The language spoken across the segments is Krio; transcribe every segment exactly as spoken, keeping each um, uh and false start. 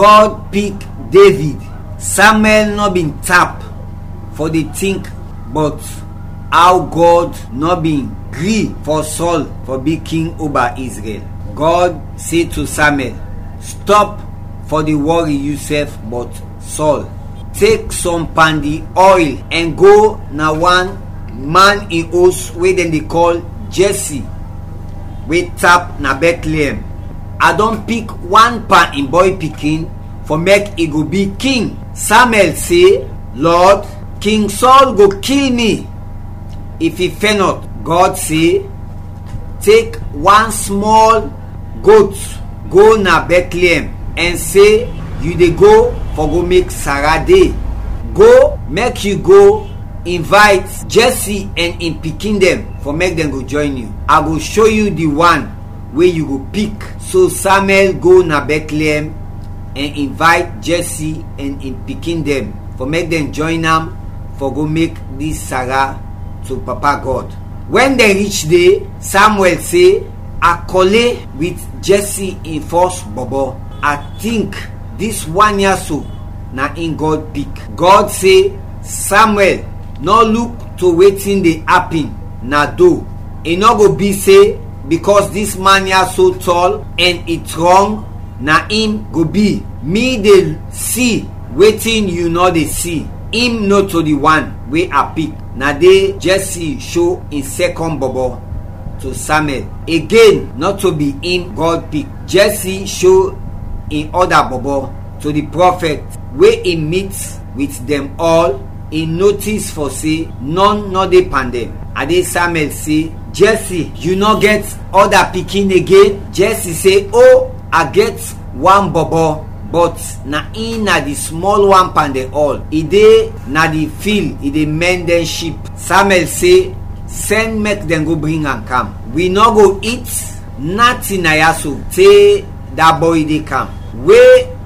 Gɔd pik Devid. Samuɛl nɔ bin tap fɔ de tink bɔt aw Gɔd nɔ bin gri fɔ Sɔl fɔ bi king oba Izrɛl. Gɔd se to Samuɛl, "Stɔp fɔ de wɔri yusɛf bɔt Sɔl. Tek sɔm pan di ɔil ɛn go na wan man in os we dɛn de kɔl Jɛsi, we tap na Bɛtleɛm. A dɔn pik wan pan in bɔy pikin fɔ mɛk i go bi king." Samuɛl se, "Lɔd, King Sɔl go kil mi if i fɛnɔt." Gɔd se, "Tek wan smɔl got go na Bɛtleɛm ɛn se yu de go fɔ go mek Sara de. Go, mɛk yu go invayt Jɛsi ɛn in pikin dɛn fɔ mɛk dɛn go jɔyn yu. A go sho yu di wan we yu go pik." So Samuɛl go na Bɛtleɛm ɛn invayt Jɛsi ɛn in pikin dɛn fɔ mɛk dɛn jɔyn am fɔ go mek dis Sara to Papa Gɔd. Wɛn dɛn rich de, Samuɛl se, "A kɔle wit Jɛsi in fɔs bɔbɔ. A tink dis wan ya so na in Gɔd pik." Gɔd se, "Samuɛl, nɔ luk to wetin de apin na do. I nɔ go bi se bikɔs dis man ya so tɔl ɛn i trɔng, na im go bi. Mi de si wetin yu nɔ de si. Im nɔto di wan we a pik." Na de Jɛsi sho in sɛkɔn bɔbɔ to Samuɛl. Agen, nɔto bi im Gɔd pik. Jɛsi sho in ɔda bɔbɔ to di prɔfɛt we i mit wit dɛn ɔl. I notis fɔ se nɔn nɔ de pan dɛn. A de Samuɛl se, "Jɛsi, yu nɔ gɛt ɔda pikin agen?" Jɛsi se, "O, a gɛt wan bɔbɔ, bɔt na in na di smɔl wan pan dɛn ɔl. I de na di fil, i de mɛn dɛn ship." Samuɛl se, "Sɛn mɛk dɛn go bring am kam. Wi nɔ go it natin na ya so te da bɔy de kam." We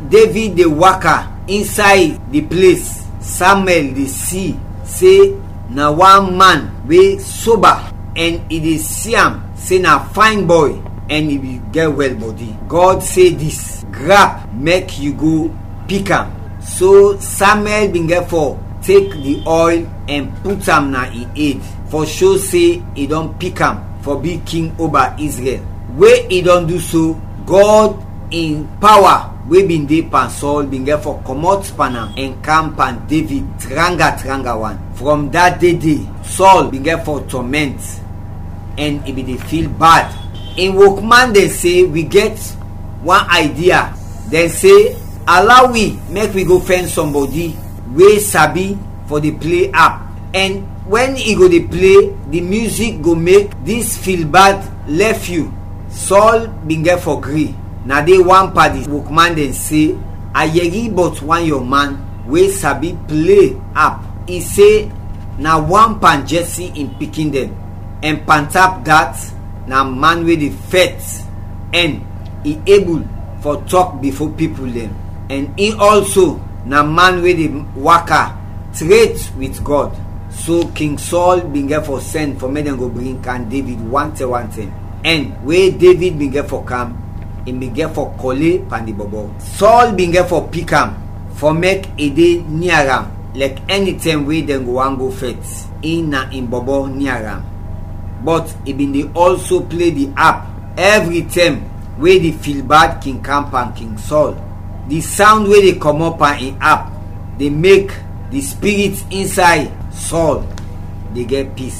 Devid de waka insay di ples, Samuɛl de si se na wan man we soba, ɛn i de si am se na fayn bɔy, ɛn i bin gɛt wɛl bɔdi. Gɔd se dis, "Grap, mɛk yu go pik am." So Samuɛl bin gɛt fɔ tek di ɔil ɛn put am na in ed, fɔ sho se i dɔn pik am fɔ bi king oba Izrɛl. We i dɔn du so, Gɔd in pawa we bin de pan Sɔl bin gɛt fɔ kɔmɔt pan am ɛn kam pan Devid tranga tranga wan. From da de de, Sɔl bin gɛt fɔ tɔmɛnt ɛn i bin de fil bad. In wokman dɛn se, "Wi gɛt wan idea." Dɛn se, "Ala wi mɛk wi go fɛn sɔmbɔdi we sabi fɔ de ple ap, ɛn wɛn i go de ple, di mizik go mek dis fil bad lɛf yu." Sɔl bin gɛt fɔ gri. Na de wan pan di wokman dɛn se, "A yɛri bɔt wan yɔnman we sabi ple ap. I se na wan pan Jɛsi in pikin dɛn, ɛn pantap dat, na man we de fɛt, ɛn i ebul fɔ tɔk bifo pipul dɛn, ɛn in ɔlso na man we de waka tret wit Gɔd." So King Sɔl bin gɛt fɔ sɛn fɔ mek dɛn go bring kam Devid wantɛm wantɛm, ɛn we Devid bin gɛt fɔ kam, i bin gɛt fɔ kɔle pan di bɔbɔ. Sɔl bin gɛt fɔ pik am fɔ mek i de nia am, lɛk ɛnitɛm we dɛn go want go fɛt, in na in bɔbɔ nia am. Bɔt i bin de ɔlso ple di ap ɛvritɛm we di filbad kin kam pan King Sɔl. Di sawnd we de kɔmɔt pan in ap de mek di spirit insay Sɔl de gɛt pis.